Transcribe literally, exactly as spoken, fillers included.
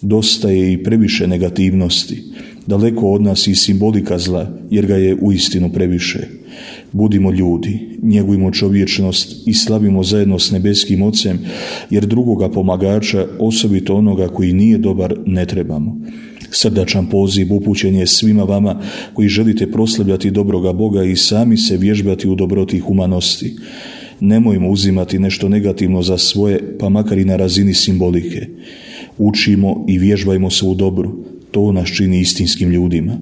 Dosta je i previše negativnosti. Daleko od nas i simbolika zla, jer ga je uistinu previše. Budimo ljudi, njegujmo čovječnost i slavimo zajedno s nebeskim Ocem, jer drugoga pomagača, osobito onoga koji nije dobar, ne trebamo. Srdačan poziv upućen je svima vama koji želite proslavljati dobroga Boga i sami se vježbati u dobroti i humanosti. Nemojmo uzimati nešto negativno za svoje, pa makar i na razini simbolike. Učimo i vježbajmo se u dobru, to nas čini istinskim ljudima.